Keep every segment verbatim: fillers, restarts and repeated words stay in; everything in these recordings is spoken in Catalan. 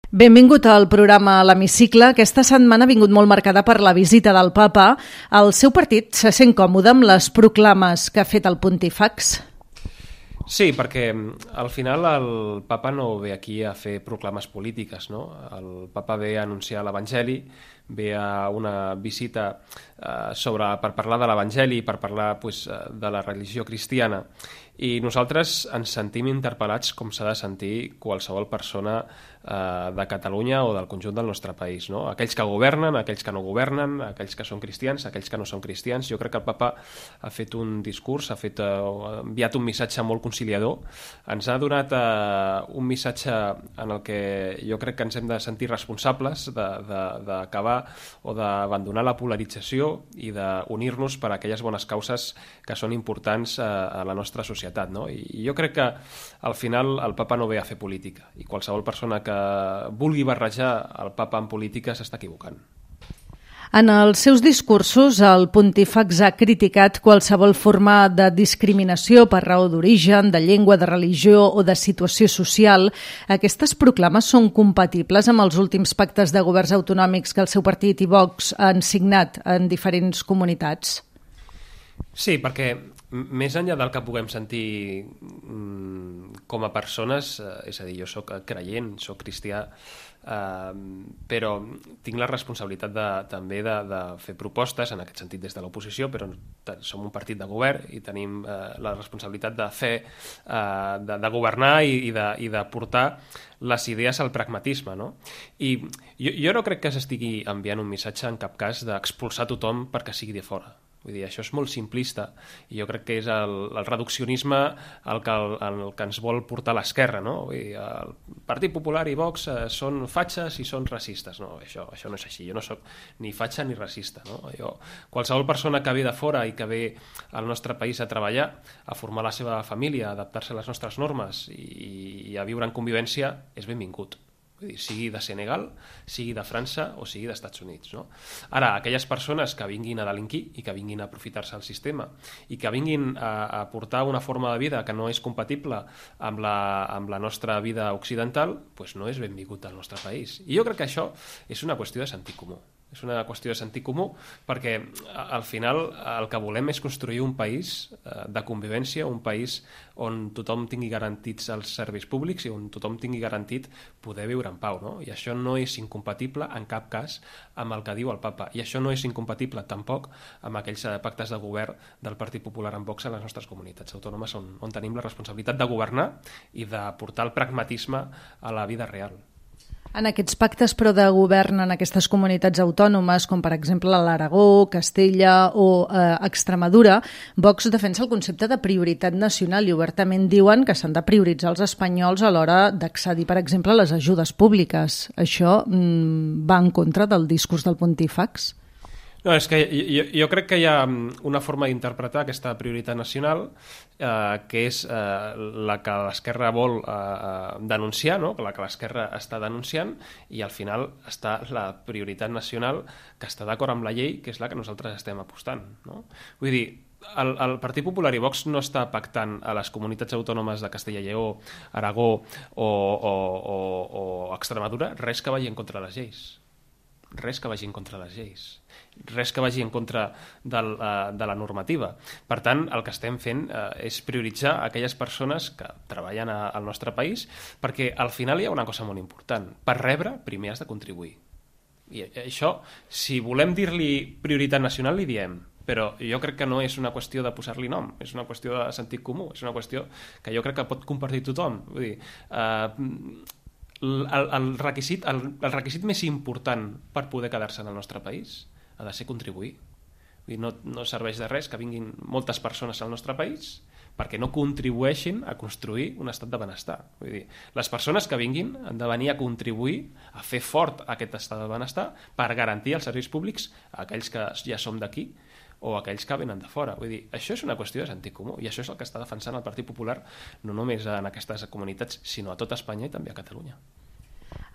Benvingut al programa L'Hemicicle. Aquesta setmana ha vingut molt marcada per la visita del papa. El seu partit se sent còmode amb les proclames que ha fet el Pontífex? Sí, perquè al final el papa no ve aquí a fer proclames polítiques, no? El papa ve a anunciar l'Evangeli, ve a una visita eh, sobre, per parlar de l'Evangeli, per parlar pues, de la religió cristiana, i nosaltres ens sentim interpel·lats com s'ha de sentir qualsevol persona eh, de Catalunya o del conjunt del nostre país, no? Aquells que governen, aquells que no governen, aquells que són cristians, aquells que no són cristians. Jo crec que el papa ha fet un discurs, ha, fet, eh, ha enviat un missatge molt conciliador, ens ha donat eh, un missatge en el que jo crec que ens hem de sentir responsables d'acabar o d'abandonar la polarització i d'unir-nos per a aquelles bones causes que són importants eh, a la nostra societat, no? I jo crec que al final el papa no ve a fer política, i qualsevol persona que vulgui barrejar el papa en política s'està equivocant. En els seus discursos, el Pontífex ha criticat qualsevol forma de discriminació per raó d'origen, de llengua, de religió o de situació social. Aquestes proclames són compatibles amb els últims pactes de governs autonòmics que el seu partit i Vox han signat en diferents comunitats? Sí, perquè més enllà del que puguem sentir mm, com a persones, eh, és a dir, jo soc creient, soc cristià, eh, però tinc la responsabilitat de, també de, de fer propostes, en aquest sentit des de l'oposició, però som un partit de govern i tenim eh, la responsabilitat de fer, eh, de, de governar i, i, de, i de portar les idees al pragmatisme, no? I jo, jo no crec que s'estigui enviant un missatge en cap cas d'expulsar tothom perquè sigui de fora. Vull dir, això és molt simplista i jo crec que és el, el reduccionisme el que, el, el que ens vol portar l'esquerra, no? Vull dir, el Partit Popular i Vox eh, són fatxes i són racistes. No, això, això no és així. Jo no sóc ni fatxa ni racista, no? Jo, qualsevol persona que ve de fora i que ve al nostre país a treballar, a formar la seva família, a adaptar-se a les nostres normes i, i a viure en convivència, és benvingut. Vull dir, sigui de Senegal, sigui de França o sigui dels Estats Units, no? Ara, aquelles persones que vinguin a delinquir i que vinguin a aprofitar-se del sistema i que vinguin a, a portar una forma de vida que no és compatible amb la, amb la nostra vida occidental, doncs no és benvingut al nostre país. I jo crec que això és una qüestió de sentit comú. És una qüestió de sentit comú perquè al final el que volem és construir un país de convivència, un país on tothom tingui garantits els serveis públics i on tothom tingui garantit poder viure en pau, no? I això no és incompatible en cap cas amb el que diu el papa, i això no és incompatible tampoc amb aquells pactes de govern del Partit Popular amb Vox a les nostres comunitats autònomes on, on tenim la responsabilitat de governar i de portar el pragmatisme a la vida real. En aquests pactes, però, de govern en aquestes comunitats autònomes, com per exemple l'Aragó, Castella o eh, Extremadura, Vox defensa el concepte de prioritat nacional i obertament diuen que s'han de prioritzar els espanyols a l'hora d'accedir, per exemple, a les ajudes públiques. Això mm, va en contra del discurs del Pontífex? No, és que jo, jo crec que hi ha una forma d'interpretar aquesta prioritat nacional eh, que és eh, la que l'esquerra vol eh, denunciar, no? La que l'esquerra està denunciant, i al final està la prioritat nacional que està d'acord amb la llei, que és la que nosaltres estem apostant, no? Vull dir, el, el Partit Popular i Vox no està pactant a les comunitats autònomes de Castella i Lleó, Aragó o, o, o, o Extremadura res que vagi en contra de les lleis. Res que vagi en contra de les lleis, res que vagi en contra del, uh, de la normativa. Per tant, el que estem fent uh, és prioritzar aquelles persones que treballen a, al nostre país, perquè al final hi ha una cosa molt important. Per rebre, primer has de contribuir. I això, si volem dir-li prioritat nacional, li diem, però jo crec que no és una qüestió de posar-li nom, és una qüestió de sentit comú, és una qüestió que jo crec que pot compartir tothom. Vull dir, uh, El, el, requisit, el, el requisit més important per poder quedar-se en el nostre país ha de ser contribuir. Vull dir, no, no serveix de res que vinguin moltes persones al nostre país perquè no contribueixin a construir un estat de benestar. Vull dir, les persones que vinguin han de venir a contribuir a fer fort aquest estat de benestar per garantir els serveis públics a aquells que ja som d'aquí o aquells que venen de fora. Vull dir, això és una qüestió de sentit comú i això és el que està defensant el Partit Popular no només en aquestes comunitats, sinó a tot Espanya i també a Catalunya.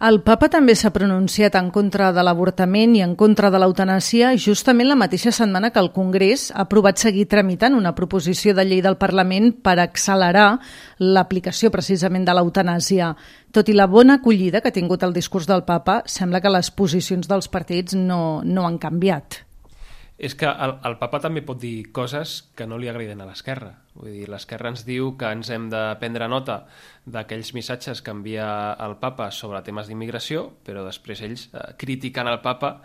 El papa també s'ha pronunciat en contra de l'avortament i en contra de l'eutanàsia justament la mateixa setmana que el Congrés ha aprovat seguir tramitant una proposició de llei del Parlament per accelerar l'aplicació precisament de l'eutanàsia. Tot i la bona acollida que ha tingut el discurs del papa, sembla que les posicions dels partits no, no han canviat. És que el, el papa també pot dir coses que no li agraden a l'esquerra. Vull dir, l'esquerra ens diu que ens hem de prendre nota d'aquells missatges que envia el papa sobre temes d'immigració, però després ells eh, critiquen el papa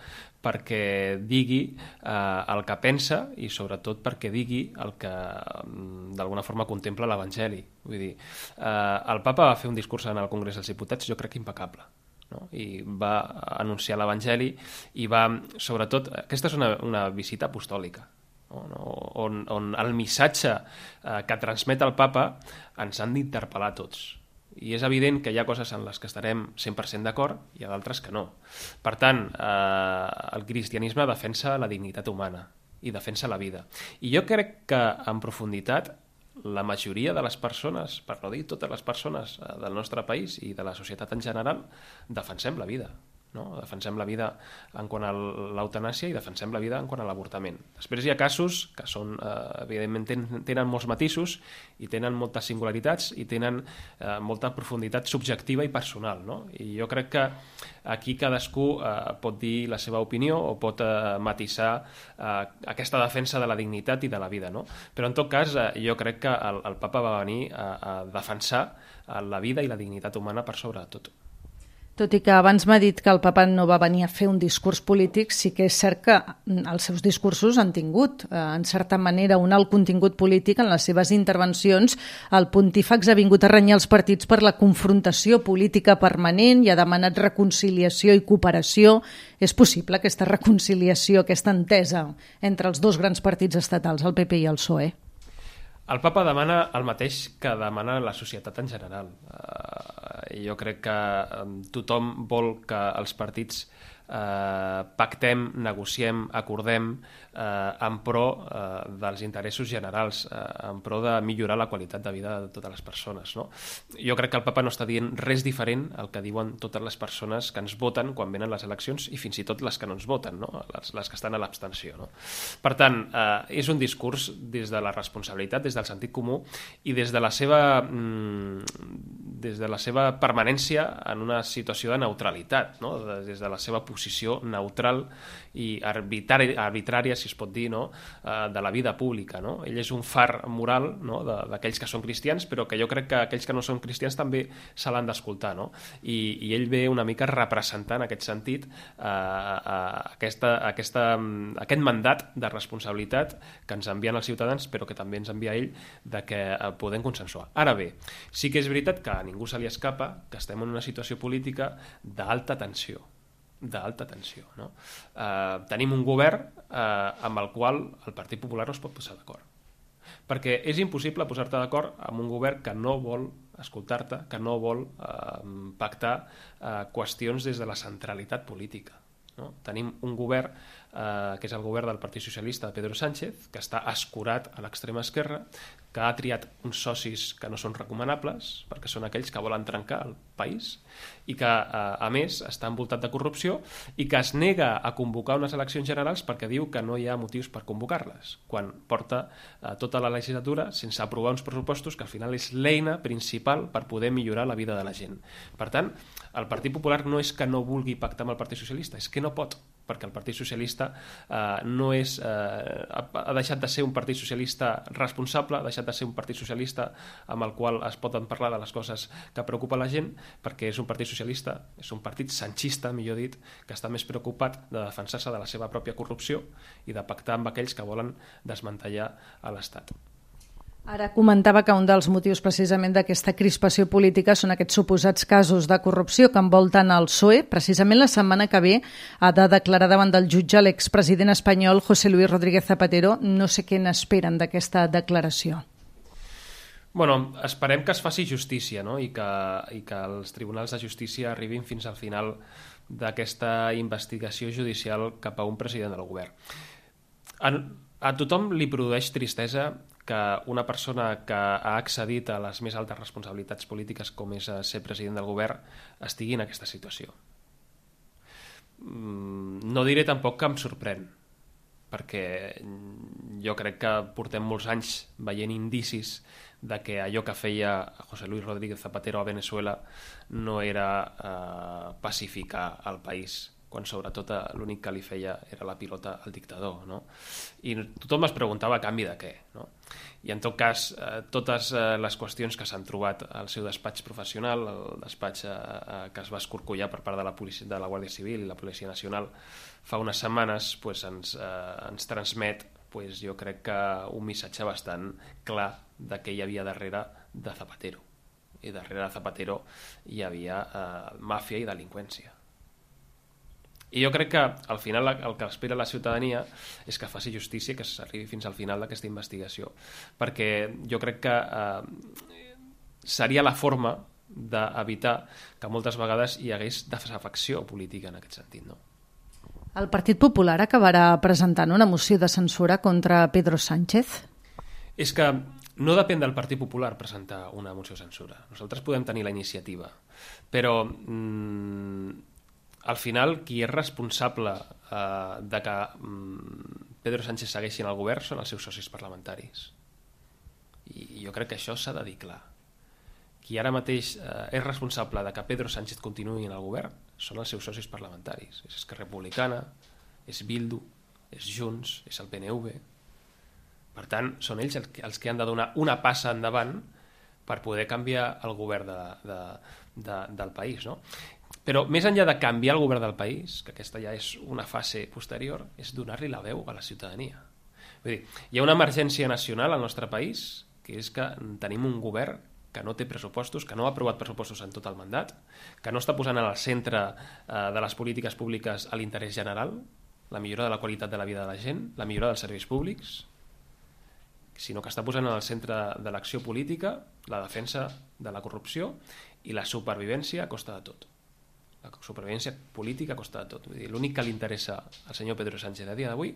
perquè digui eh, el que pensa i sobretot perquè digui el que d'alguna forma contempla l'Evangeli. Vull dir, eh, el papa va fer un discurs en el Congrés dels Diputats, jo crec que impecable. No? I va anunciar l'Evangeli i va, sobretot, aquesta és una, una visita apostòlica, no? on, on el missatge eh, que transmet el papa ens han d'interpel·lar tots. I és evident que hi ha coses en les que estarem cent per cent d'acord i hi ha d'altres que no. Per tant, eh, el cristianisme defensa la dignitat humana i defensa la vida. I jo crec que en profunditat la majoria de les persones, per no dir totes les persones del nostre país i de la societat en general, defensem la vida. No? Defensem la vida en quant a l'eutanàsia i defensem la vida en quant a l'avortament. Després hi ha casos que són, eh, evidentment tenen, tenen molts matisos i tenen moltes singularitats i tenen eh, molta profunditat subjectiva i personal. No? I jo crec que aquí cadascú eh, pot dir la seva opinió o pot eh, matisar eh, aquesta defensa de la dignitat i de la vida. No? Però en tot cas eh, jo crec que el, el papa va venir a, a defensar la vida i la dignitat humana per sobre de tot. Tot i que abans m'ha dit que el papa no va venir a fer un discurs polític, sí que és cert que els seus discursos han tingut, eh, en certa manera, un alt contingut polític en les seves intervencions. El pontífex ha vingut a renyar els partits per la confrontació política permanent i ha demanat reconciliació i cooperació. És possible aquesta reconciliació, aquesta entesa entre els dos grans partits estatals, el P P i el P S O E? El papa demana el mateix que demana la societat en general. Jo crec que tothom vol que els partits eh, pactem, negociem, acordem eh, en pro eh, dels interessos generals, eh, en pro de millorar la qualitat de vida de totes les persones. No? Jo crec que el papa no està dient res diferent al que diuen totes les persones que ens voten quan venen les eleccions i fins i tot les que no ens voten, no? les, les que estan a l'abstenció. No? Per tant, eh, és un discurs des de la responsabilitat, des del sentit comú i des de la seva... Mm, des de la seva permanència en una situació de neutralitat, no? Des de la seva posició neutral i arbitrària, arbitrària si es pot dir, no? De la vida pública. No? Ell és un far moral, no? d'aquells que són cristians, però que jo crec que aquells que no són cristians també se l'han d'escoltar. No? I, I ell ve una mica representant en aquest sentit eh, aquesta, aquesta, aquest mandat de responsabilitat que ens envien els ciutadans, però que també ens envia ell, de que podem consensuar. Ara bé, sí que és veritat que a ningú se li escapa que estem en una situació política d'alta tensió. d'alta tensió. No? Eh, tenim un govern eh, amb el qual el Partit Popular no es pot posar d'acord. Perquè és impossible posar-te d'acord amb un govern que no vol escoltar-te, que no vol eh, pactar eh, qüestions des de la centralitat política. No? Tenim un govern eh, que és el govern del Partit Socialista de Pedro Sánchez, que està escurat a l'extrema esquerra, que ha triat uns socis que no són recomanables, perquè són aquells que volen trencar el país, i que, eh, a més, està envoltat de corrupció i que es nega a convocar unes eleccions generals perquè diu que no hi ha motius per convocar-les, quan porta eh, tota la legislatura sense aprovar uns pressupostos que al final és l'eina principal per poder millorar la vida de la gent. Per tant, el Partit Popular no és que no vulgui pactar amb el Partit Socialista, és que no pot, perquè el Partit Socialista eh, no és, eh, ha deixat de ser un Partit Socialista responsable, ha deixat de ser un Partit Socialista amb el qual es poden parlar de les coses que preocupa la gent, perquè és un Partit Socialista, és un partit sanchista, millor dit, que està més preocupat de defensar-se de la seva pròpia corrupció i de pactar amb aquells que volen desmantellar a l'Estat. Ara comentava que un dels motius precisament d'aquesta crispació política són aquests suposats casos de corrupció que envolten el P S O E. Precisament la setmana que ve ha de declarar davant del jutge l'expresident espanyol José Luis Rodríguez Zapatero. No sé què n'esperen d'aquesta declaració. Bueno, esperem que es faci justícia, no? I, que, i que els tribunals de justícia arribin fins al final d'aquesta investigació judicial cap a un president del govern. A, a tothom li produeix tristesa que una persona que ha accedit a les més altes responsabilitats polítiques com és ser president del govern estigui en aquesta situació. No diré tampoc que em sorprèn, perquè jo crec que portem molts anys veient indicis de que allò que feia José Luis Rodríguez Zapatero a Venezuela no era eh, pacificar el país, quan sobretot l'únic que li feia era la pilota al dictador, no? I tothom es preguntava a canvi de què, no? I en tot cas, eh, totes eh, les qüestions que s'han trobat al seu despatx professional, el despatx eh, que es va escorcollar per part de la, policia, de la Guàrdia Civil i la Policia Nacional fa unes setmanes, pues, ens, eh, ens transmet, pues, jo crec que un missatge bastant clar de què hi havia darrere de Zapatero. I darrere de Zapatero hi havia eh, màfia i delinqüència. I jo crec que al final el que espera la ciutadania és que faci justícia, que s'arribi fins al final d'aquesta investigació, perquè jo crec que eh, seria la forma d'evitar que moltes vegades hi hagués desafecció política en aquest sentit, no? El Partit Popular acabarà presentant una moció de censura contra Pedro Sánchez? És que no depèn del Partit Popular presentar una moció de censura. Nosaltres podem tenir la iniciativa, però mmm, al final qui és responsable eh, de que mm, Pedro Sánchez segueixi en el govern són els seus socis parlamentaris. I jo crec que això s'ha de dir clar. Qui ara mateix eh, és responsable de que Pedro Sánchez continuï en el govern són els seus socis parlamentaris. És Esquerra Republicana, és Bildu, és Junts, és el P N V. Per tant, són ells els que han de donar una passa endavant per poder canviar el govern de, de, de, del país, no? Però més enllà de canviar el govern del país, que aquesta ja és una fase posterior, és donar-li la veu a la ciutadania. Vull dir, hi ha una emergència nacional al nostre país, que és que tenim un govern que no té pressupostos, que no ha aprovat pressupostos en tot el mandat, que no està posant al centre eh, de les polítiques públiques a l'interès general, la millora de la qualitat de la vida de la gent, la millora dels serveis públics, sinó que està posant al centre de l'acció política la defensa de la corrupció i la supervivència a costa de tot. La supervivència política a costa de tot. Vull dir, l'únic que li interessa al senyor Pedro Sánchez a dia d'avui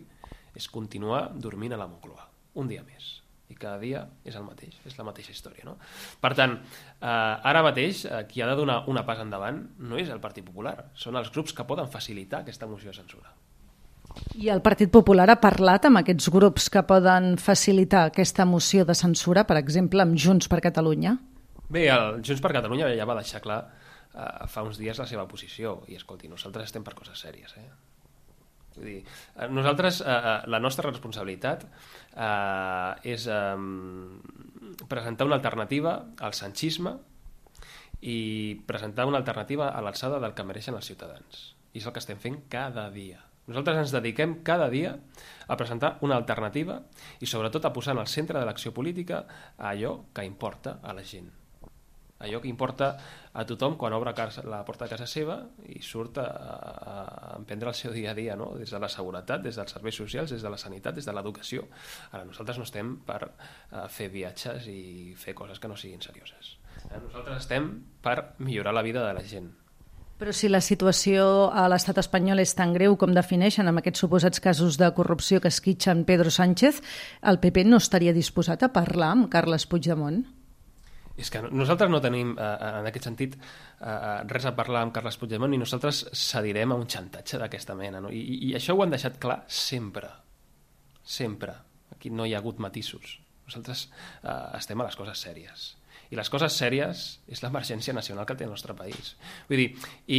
és continuar dormint a la Moncloa, un dia més. I cada dia és el mateix, és la mateixa història, no? Per tant, eh, ara mateix eh, qui ha de donar una pas endavant no és el Partit Popular, són els grups que poden facilitar aquesta moció de censura. I el Partit Popular ha parlat amb aquests grups que poden facilitar aquesta moció de censura, per exemple, amb Junts per Catalunya? Bé, el Junts per Catalunya ja va deixar clar eh, fa uns dies la seva posició, i escolti, nosaltres estem per coses sèries, eh? Vull dir, nosaltres, eh, la nostra responsabilitat eh, és eh, presentar una alternativa al sanchisme i presentar una alternativa a l'alçada del que mereixen els ciutadans. I és el que estem fent cada dia. Nosaltres ens dediquem cada dia a presentar una alternativa i sobretot a posar en el centre de l'acció política allò que importa a la gent. Allò que importa a tothom quan obre la porta de casa seva i surt a, a emprendre el seu dia a dia, no? Des de la seguretat, des dels serveis socials, des de la sanitat, des de l'educació. Ara, nosaltres no estem per uh, fer viatges i fer coses que no siguin serioses. Eh? Nosaltres estem per millorar la vida de la gent. Però si la situació a l'estat espanyol és tan greu com defineixen amb aquests suposats casos de corrupció que esquitxen Pedro Sánchez, el P P no estaria disposat a parlar amb Carles Puigdemont? És que nosaltres no tenim, eh, en aquest sentit, eh, res a parlar amb Carles Puigdemont i nosaltres cedirem a un xantatge d'aquesta mena, no? I, I això ho han deixat clar sempre. Sempre. Aquí no hi ha hagut matisos. Nosaltres eh, estem a les coses sèries. I les coses sèries és l'emergència nacional que té el nostre país. Vull dir, i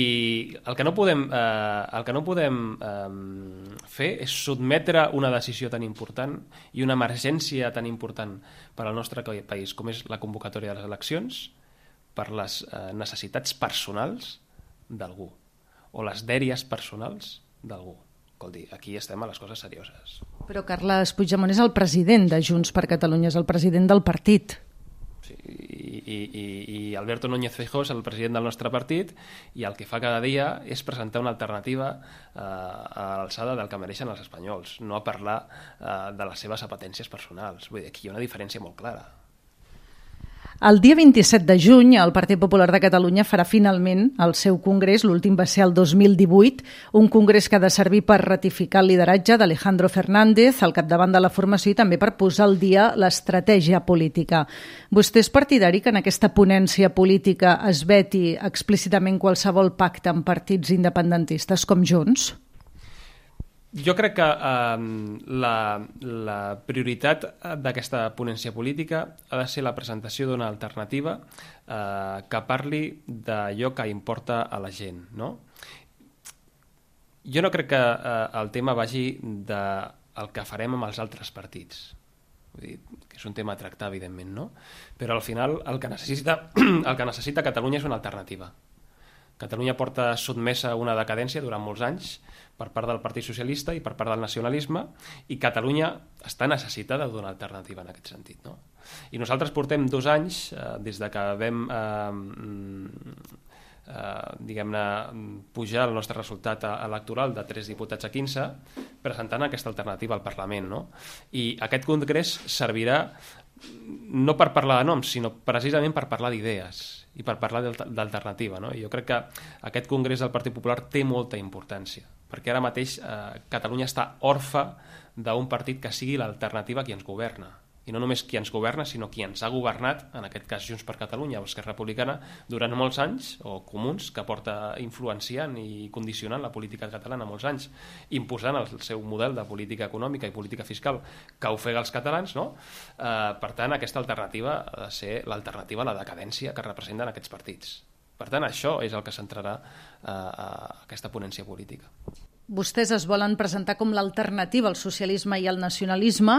el que no podem, eh, el que no podem eh, fer és sotmetre una decisió tan important i una emergència tan important per al nostre país com és la convocatòria de les eleccions per les eh, necessitats personals d'algú o les dèries personals d'algú. Escolti, aquí estem a les coses serioses. Però Carles Puigdemont és el president de Junts per Catalunya, és el president del partit. Sí, i, i, i Alberto Núñez Feijóo és el president del nostre partit i el que fa cada dia és presentar una alternativa eh, a l'alçada del que mereixen els espanyols, no a parlar eh, de les seves apetències personals. Vull dir, aquí hi ha una diferència molt clara. El dia vint-i-set de juny, el Partit Popular de Catalunya farà finalment el seu congrés, l'últim va ser el dos mil divuit, un congrés que ha de servir per ratificar el lideratge d'Alejandro Fernández al capdavant de la formació i també per posar al dia l'estratègia política. Vostè és partidari que en aquesta ponència política es veti explícitament qualsevol pacte amb partits independentistes com Junts? Jo crec que eh, la, la prioritat d'aquesta ponència política ha de ser la presentació d'una alternativa eh, que parli d'allò que importa a la gent, no? Jo no crec que eh, el tema vagi del que farem amb els altres partits. Vull dir, que és un tema a tractar, evidentment, no? Però al final el que necessita, el que necessita Catalunya és una alternativa. Catalunya porta sotmesa a una decadència durant molts anys per part del Partit Socialista i per part del nacionalisme, i Catalunya està necessitada d'una alternativa en aquest sentit, no? I nosaltres portem dos anys, eh, des de que vam eh, eh, diguem-ne, pujar el nostre resultat electoral de tres diputats a quinze, presentant aquesta alternativa al Parlament, no? I aquest congrés servirà no per parlar de noms, sinó precisament per parlar d'idees i per parlar d'alternativa, no? I jo crec que aquest congrés del Partit Popular té molta importància, perquè ara mateix eh, Catalunya està orfa d'un partit que sigui l'alternativa a qui ens governa. I no només qui ens governa, sinó qui ens ha governat, en aquest cas Junts per Catalunya o Esquerra Republicana, durant molts anys, o Comuns, que porta influenciant i condicionant la política catalana molts anys, imposant el seu model de política econòmica i política fiscal que ofega els catalans, no? Eh, per tant, aquesta alternativa ha de ser l'alternativa a la decadència que representen aquests partits. Per tant, això és el que centrarà eh, aquesta ponència política. Vostès es volen presentar com l'alternativa al socialisme i al nacionalisme,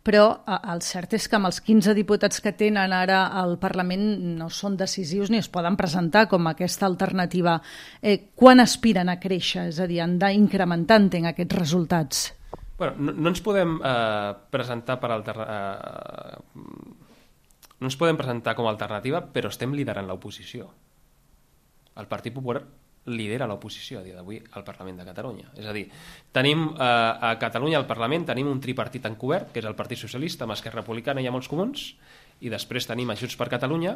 però el cert és que amb els quinze diputats que tenen ara al Parlament no són decisius ni es poden presentar com aquesta alternativa. Eh, quan aspiren a créixer? És a dir, han d'incrementar, entenc, aquests resultats. Bueno, no, no ens podem eh, presentar per alterna... eh, no ens podem presentar com a alternativa, però estem liderant l'oposició. El Partit Popular lidera l'oposició a dia d'avui al Parlament de Catalunya. És a dir, tenim eh, a Catalunya al Parlament tenim un tripartit encobert, que és el Partit Socialista, amb Esquerra Republicana i amb els Comuns, i després tenim a Junts per Catalunya,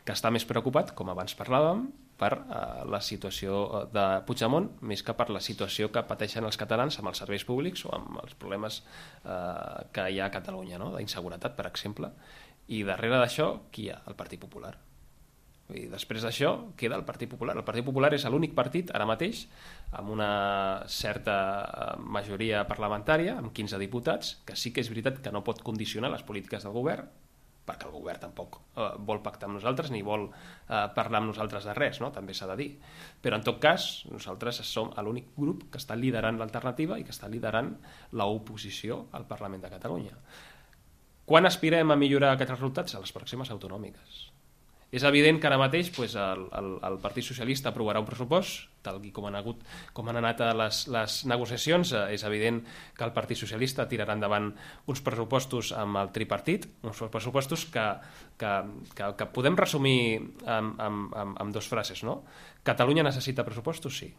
que està més preocupat, com abans parlàvem, per eh, la situació de Puigdemont, més que per la situació que pateixen els catalans amb els serveis públics o amb els problemes eh, que hi ha a Catalunya, no? D'inseguretat, per exemple. I darrere d'això, qui hi ha? El Partit Popular. I després d'això queda el Partit Popular. El Partit Popular és l'únic partit ara mateix amb una certa majoria parlamentària, amb quinze diputats, que sí que és veritat que no pot condicionar les polítiques del govern, perquè el govern tampoc eh, vol pactar amb nosaltres ni vol eh, parlar amb nosaltres de res, no? També s'ha de dir. Però en tot cas, nosaltres som l'únic grup que està liderant l'alternativa i que està liderant l'oposició al Parlament de Catalunya. Quan aspirem a millorar aquests resultats? A les pròximes autonòmiques. És evident que ara mateix pues, el, el, el Partit Socialista aprovarà un pressupost, tal com han, hagut, com han anat les, les negociacions. Eh, és evident que el Partit Socialista tirarà endavant uns pressupostos amb el tripartit, uns pressupostos que, que, que, que podem resumir amb, amb, amb, amb dues frases, no? Catalunya necessita pressupostos? Sí.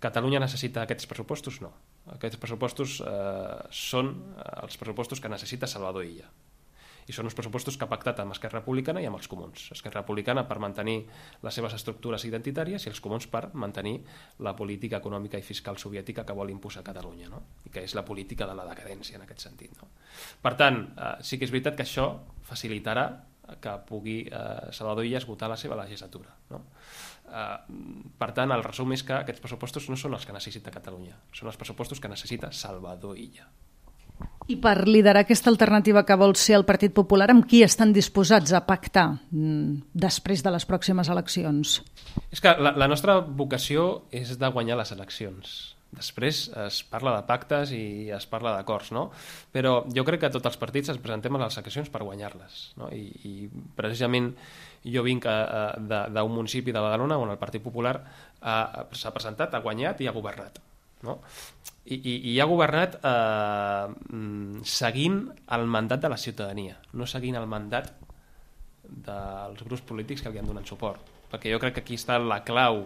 Catalunya necessita aquests pressupostos? No. Aquests pressupostos eh, són els pressupostos que necessita Salvador Illa. I són uns pressupostos que ha pactat amb Esquerra Republicana i amb els Comuns. Esquerra Republicana per mantenir les seves estructures identitàries i els Comuns per mantenir la política econòmica i fiscal soviètica que vol imposar Catalunya, no? I que és la política de la decadència en aquest sentit, no? Per tant, eh, sí que és veritat que això facilitarà que pugui eh, Salvador Illa esgotar la seva legislatura, no? Eh, per tant, el resum és que aquests pressupostos no són els que necessita Catalunya, són els pressupostos que necessita Salvador Illa. I per liderar aquesta alternativa que vol ser el Partit Popular, amb qui estan disposats a pactar després de les pròximes eleccions? És que la, la nostra vocació és de guanyar les eleccions. Després es parla de pactes i es parla d'acords, no? Però jo crec que tots els partits ens presentem a les eleccions per guanyar-les, no? I, i precisament jo vinc d'un municipi de Badalona on el Partit Popular s'ha presentat, ha guanyat i ha governat, no? I, i, i ha governat eh, seguint el mandat de la ciutadania, no seguint el mandat dels grups polítics que li han donat suport, perquè jo crec que aquí està la clau,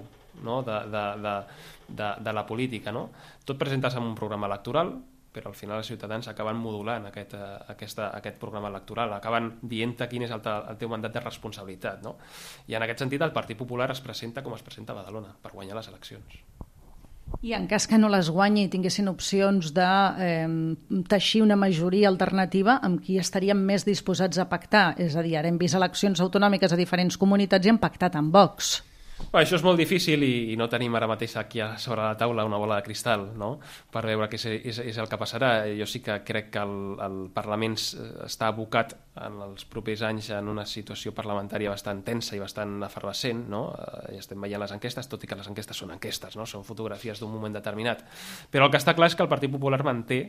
no? de, de, de, de, de la política, no? Tot presentar-se en un programa electoral, però al final els ciutadans acaben modulant aquest, uh, aquesta, aquest programa electoral, acaben dient-te quin és el, el teu mandat de responsabilitat, no? I en aquest sentit el Partit Popular es presenta com es presenta a Badalona, per guanyar les eleccions. I en cas que no les guanyi i tinguessin opcions de eh, teixir una majoria alternativa, amb qui estaríem més disposats a pactar? És a dir, ara hem vist eleccions autonòmiques a diferents comunitats i hem pactat amb Vox. Bé, això és molt difícil i, i no tenim ara mateix aquí sobre la taula una bola de cristal, no?, per veure què és, és, és el que passarà. Jo sí que crec que el, el Parlament està abocat en els propers anys en una situació parlamentària bastant tensa i bastant efervescent, no? Ja estem veient les enquestes, tot i que les enquestes són enquestes, no?, són fotografies d'un moment determinat. Però el que està clar és que el Partit Popular manté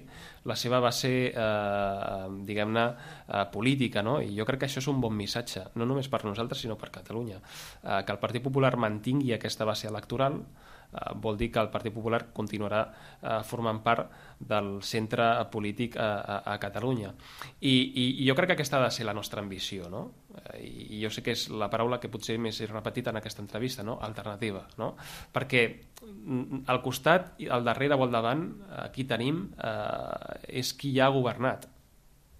la seva base, eh, diguem-ne, eh, política, no? I jo crec que això és un bon missatge, no només per nosaltres, sinó per Catalunya. Eh, que el Partit Popular mantingui aquesta base electoral eh, vol dir que el Partit Popular continuarà eh, formant part del centre polític a, a, a Catalunya. I, i, I jo crec que aquesta ha de ser la nostra ambició, no? Eh, I jo sé que és la paraula que potser més he repetit en aquesta entrevista, no? Alternativa, no? Perquè al costat, al darrere o al davant, aquí tenim eh, és qui ja ha governat.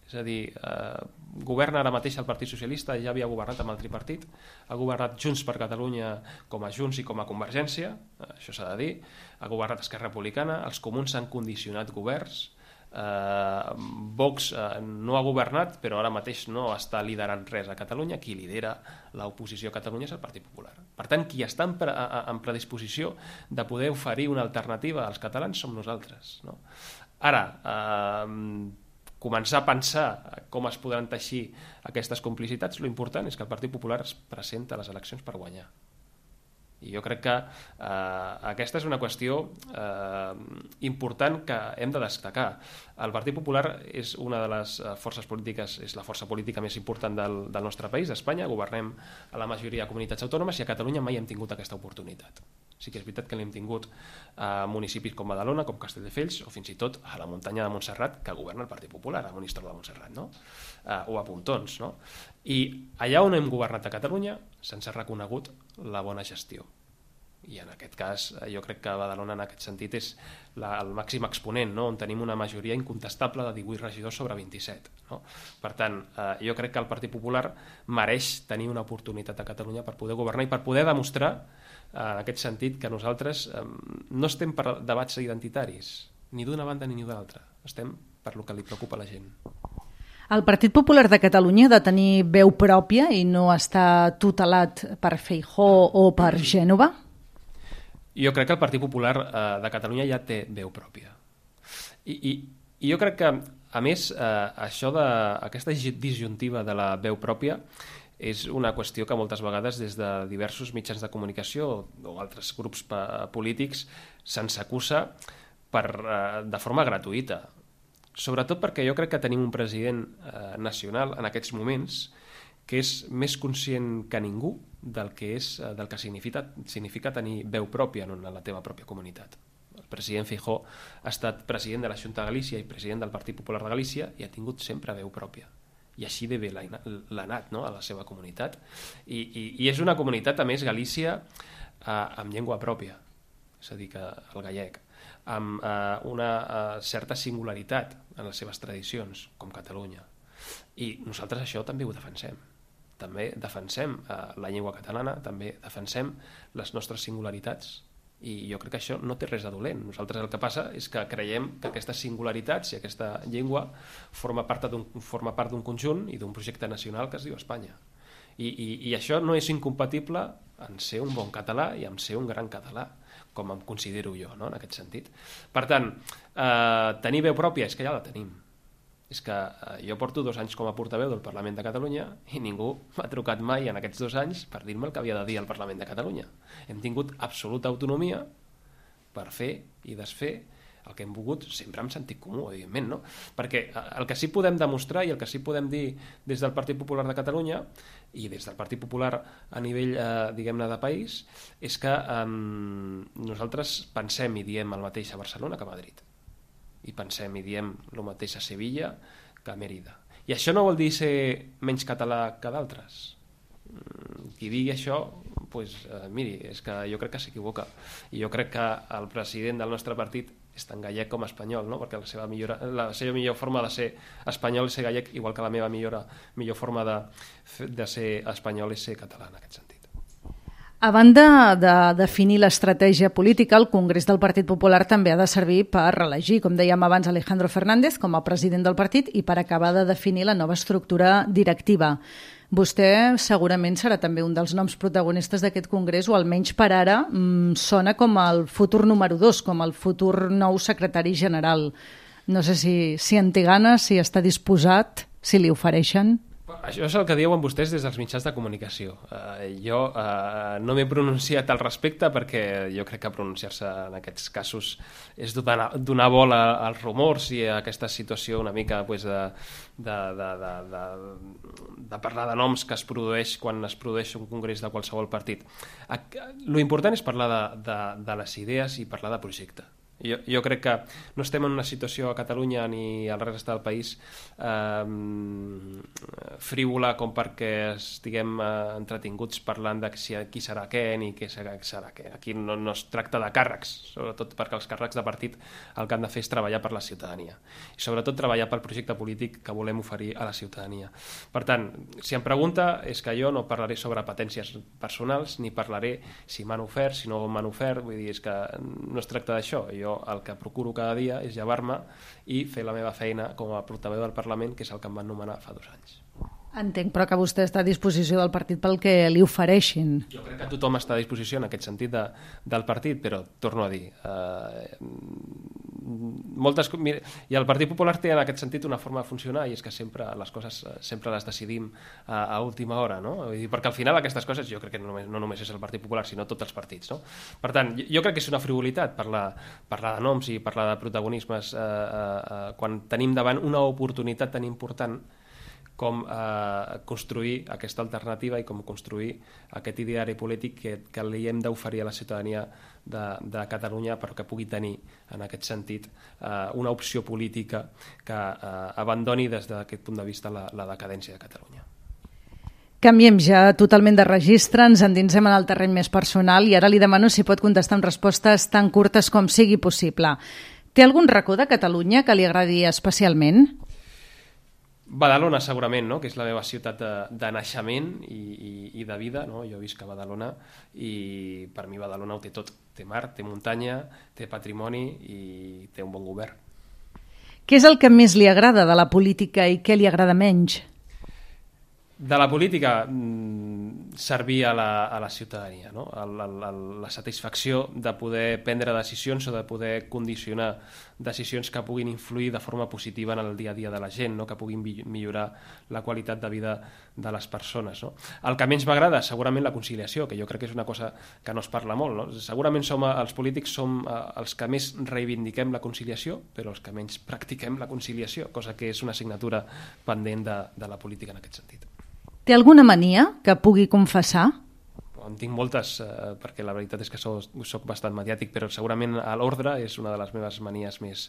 És a dir, eh, governa ara mateix el Partit Socialista, ja havia governat amb el tripartit, ha governat Junts per Catalunya com a Junts i com a Convergència, eh, això s'ha de dir, ha governat Esquerra Republicana, els comuns s'han condicionat governs, eh, Vox eh, no ha governat, però ara mateix no està liderant res a Catalunya, qui lidera l'oposició a Catalunya és el Partit Popular. Per tant, qui està en, pre en predisposició de poder oferir una alternativa als catalans som nosaltres, no? Ara, eh, començar a pensar com es podran teixir aquestes complicitats, l'important és que el Partit Popular es presenta a les eleccions per guanyar. I jo crec que eh, aquesta és una qüestió eh, important que hem de destacar. El Partit Popular és una de les forces polítiques, és la força política més important del, del nostre país, d'Espanya, governem a la majoria de comunitats autònomes i a Catalunya mai hem tingut aquesta oportunitat. Sí que és veritat que l'hem tingut a municipis com Badalona, com Castelldefels, o fins i tot a la muntanya de Montserrat, que governa el Partit Popular, a Monistrol de Montserrat, no? Eh, o a Pontons, no? I allà on hem governat a Catalunya se'ns ha reconegut la bona gestió. I en aquest cas jo crec que Badalona en aquest sentit és la, el màxim exponent, no? On tenim una majoria incontestable de divuit regidors sobre vint-i-set, no? Per tant, eh, jo crec que el Partit Popular mereix tenir una oportunitat a Catalunya per poder governar i per poder demostrar eh, en aquest sentit que nosaltres eh, no estem per debats identitaris ni d'una banda ni d'una altra, estem per lo que li preocupa a la gent. El Partit Popular de Catalunya ha de tenir veu pròpia i no està tutelat per Feijóo o per Gènova? Jo crec que el Partit Popular eh, de Catalunya ja té veu pròpia. I, i, i jo crec que, a més, eh, això de, aquesta disjuntiva de la veu pròpia és una qüestió que moltes vegades des de diversos mitjans de comunicació o altres grups polítics se'ns acusa per, eh, de forma gratuïta. Sobretot perquè jo crec que tenim un president eh, nacional en aquests moments que és més conscient que ningú del que, és, del que significa, significa tenir veu pròpia en la teva pròpia comunitat. El president Feijóo ha estat president de la Xunta de Galícia i president del Partit Popular de Galícia i ha tingut sempre veu pròpia. I així de bé l'ha anat, no?, a la seva comunitat. I, i, i és una comunitat, a més, Galícia, eh, amb llengua pròpia, és a dir, que el gallec, amb eh, una eh, certa singularitat en les seves tradicions, com Catalunya. I nosaltres això també ho defensem. També defensem eh, la llengua catalana, també defensem les nostres singularitats i jo crec que això no té res de dolent. Nosaltres el que passa és que creiem que aquestes singularitats i aquesta llengua forma part d'un forma part d'un conjunt i d'un projecte nacional que es diu Espanya. I, i, i això no és incompatible en ser un bon català i en ser un gran català, com em considero jo, no?, en aquest sentit. Per tant, eh, tenir veu pròpia és que ja la tenim. És que eh, jo porto dos anys com a portaveu del Parlament de Catalunya i ningú m'ha trucat mai en aquests dos anys per dir-me el que havia de dir al Parlament de Catalunya. Hem tingut absoluta autonomia per fer i desfer el que hem volgut, sempre amb sentit comú, evidentment, no? Perquè el que sí podem demostrar i el que sí podem dir des del Partit Popular de Catalunya i des del Partit Popular a nivell, eh, diguem-ne, de país, és que eh, nosaltres pensem i diem el mateix a Barcelona que a Madrid. I pensem i diem el mateix a Sevilla que a Mèrida. I això no vol dir ser menys català que d'altres. Qui digui això, pues, eh, miri, és que jo crec que s'equivoca. I jo crec que el president del nostre partit és tan gallec com espanyol, no? Perquè la seva, millor, la seva millor forma de ser espanyol és ser gallec, igual que la meva millor, millor forma de, de ser espanyol és ser català, en aquest sentit. A banda de definir l'estratègia política, el Congrés del Partit Popular també ha de servir per reelegir, com dèiem abans, Alejandro Fernández com a president del partit i per acabar de definir la nova estructura directiva. Vostè segurament serà també un dels noms protagonistes d'aquest congrés, o almenys per ara mmm, sona com el futur número dos, com el futur nou secretari general. No sé si, si en té ganes, si està disposat, si li ofereixen. Això és el que diuen vostès des dels mitjans de comunicació. Uh, jo uh, no m'he pronunciat al respecte perquè jo crec que pronunciar-se en aquests casos és donar, donar bola als rumors i a aquesta situació una mica pues, de, de, de, de, de, de parlar de noms que es produeix quan es produeix un congrés de qualsevol partit. Lo important és parlar de, de, de les idees i parlar de projecte. Jo, jo crec que no estem en una situació a Catalunya ni al resta del país eh, frívola com perquè estiguem eh, entretinguts parlant de si, qui serà què ni què serà, serà què. Aquí no, no es tracta de càrrecs, sobretot perquè els càrrecs de partit el que han de fer és treballar per la ciutadania i sobretot treballar pel projecte polític que volem oferir a la ciutadania. Per tant, si em pregunta, és que jo no parlaré sobre patències personals ni parlaré si m'han ofert, si no m'han ofert, vull dir, és que no es tracta d'això. Jo Jo el que procuro cada dia és llevar-me i fer la meva feina com a portaveu del Parlament, que és el que em van nomenar fa dos anys. Entenc, però que vostè està a disposició del partit pel que li ofereixin. Jo crec que tothom està a disposició en aquest sentit de, del partit, però torno a dir, eh, moltes, i el Partit Popular té en aquest sentit una forma de funcionar i és que sempre les coses sempre les decidim a, a última hora, no? Vull dir, perquè al final aquestes coses jo crec que no només, no només és el Partit Popular sinó tots els partits, no? Per tant, jo crec que és una frivolitat parlar, parlar de noms i parlar de protagonismes eh, eh, quan tenim davant una oportunitat tan important com eh, construir aquesta alternativa i com construir aquest ideari polític que, que li hem d'oferir a la ciutadania de, de Catalunya perquè pugui tenir, en aquest sentit, eh, una opció política que eh, abandoni des d'aquest punt de vista la, la decadència de Catalunya. Canviem ja totalment de registre, ens endinsem en el terreny més personal i ara li demano si pot contestar amb respostes tan curtes com sigui possible. Té algun racó de Catalunya que li agradi especialment? Badalona segurament, no? Que és la meva ciutat de, de naixement i, i, i de vida, no? Jo visc a Badalona i per mi Badalona ho té tot, té mar, té muntanya, té patrimoni i té un bon govern. Què és el que més li agrada de la política i què li agrada menys? De la política, servir a la, a la ciutadania, no? la, la, la satisfacció de poder prendre decisions o de poder condicionar decisions que puguin influir de forma positiva en el dia a dia de la gent, no? Que puguin millorar la qualitat de vida de les persones. No? El que menys m'agrada, segurament la conciliació, que jo crec que és una cosa que no es parla molt. No? Segurament som, els polítics som els que més reivindiquem la conciliació, però els que menys practiquem la conciliació, cosa que és una assignatura pendent de, de la política en aquest sentit. Té alguna mania que pugui confessar? En tinc moltes, eh, perquè la veritat és que soc, soc bastant mediàtic, però segurament a l'ordre és una de les meves manies més,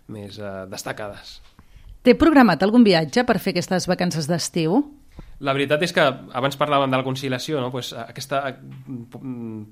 més eh, destacades. Té programat algun viatge per fer aquestes vacances d'estiu? La veritat és que abans parlàvem de la conciliació, no? Pues aquesta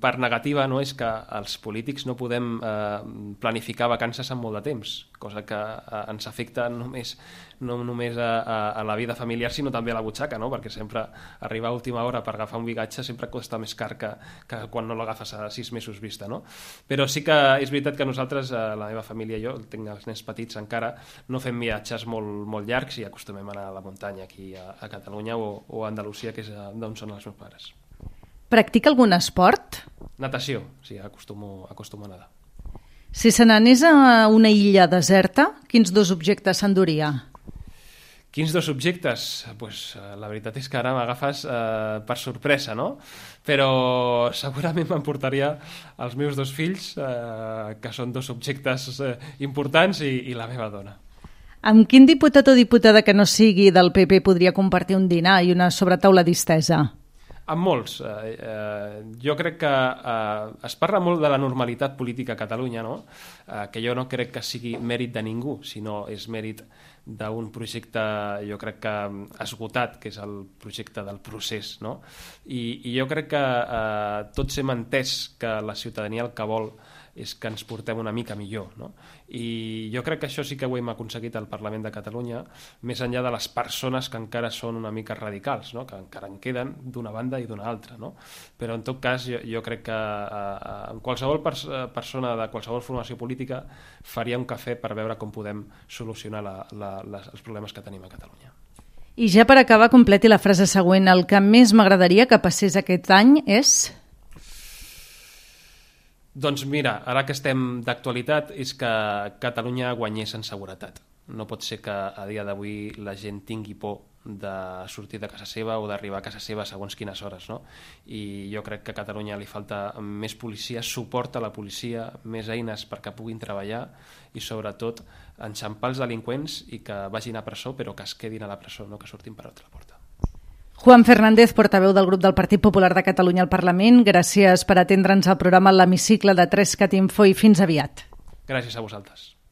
part negativa, no? És que els polítics no podem eh, planificar vacances en molt de temps, cosa que eh, ens afecta només, no només a, a, a la vida familiar sinó també a la butxaca, no? Perquè sempre arribar a última hora per agafar un viatge sempre costa més car que, que quan no l'agafes a sis mesos vista, no? Però sí que és veritat que nosaltres, eh, la meva família i jo, tinc els nens petits encara, no fem viatges molt, molt llargs i acostumem a anar a la muntanya aquí a, a Catalunya o o a Andalusia, que és d'on són els meus pares. Practica algun esport? Natació, sí, acostumo, acostumo a nedar. Si se n'anés a una illa deserta, quins dos objectes s'enduria? Quins dos objectes? Pues, la veritat és que ara m'agafes eh, per sorpresa, no? Però segurament m'emportaria els meus dos fills, eh, que són dos objectes eh, importants, i, i la meva dona. Amb quin diputat o diputada que no sigui del P P podria compartir un dinar i una sobretaula distesa? Amb molts. Eh, eh, jo crec que eh, es parla molt de la normalitat política a Catalunya, no? Eh, que jo no crec que sigui mèrit de ningú, sinó és mèrit d'un projecte, jo crec que esgotat, que és el projecte del procés, no? I, i jo crec que eh, tots hem entès que la ciutadania el que vol és que ens portem una mica millor, no? I jo crec que això sí que ho hem aconseguit al Parlament de Catalunya, més enllà de les persones que encara són una mica radicals, no? Que encara en queden d'una banda i d'una altra, no? Però en tot cas jo, jo crec que eh, en qualsevol pers persona de qualsevol formació política faria un cafè per veure com podem solucionar la, la, les, els problemes que tenim a Catalunya. I ja per acabar, completi la frase següent. El que més m'agradaria que passés aquest any és... Doncs mira, ara que estem d'actualitat és que Catalunya guanyés en seguretat. No pot ser que a dia d'avui la gent tingui por de sortir de casa seva o d'arribar a casa seva segons quines hores, no? I jo crec que a Catalunya li falta més policia, suport a la policia, més eines perquè puguin treballar i sobretot enxampar els delinqüents i que vagin a presó però que es quedin a la presó, no que surtin per altra porta. Juan Fernández, portaveu del grup del Partit Popular de Catalunya al Parlament, gràcies per atendre'ns al programa L'Hemicicle de tres cat info i fins aviat. Gràcies a vosaltres.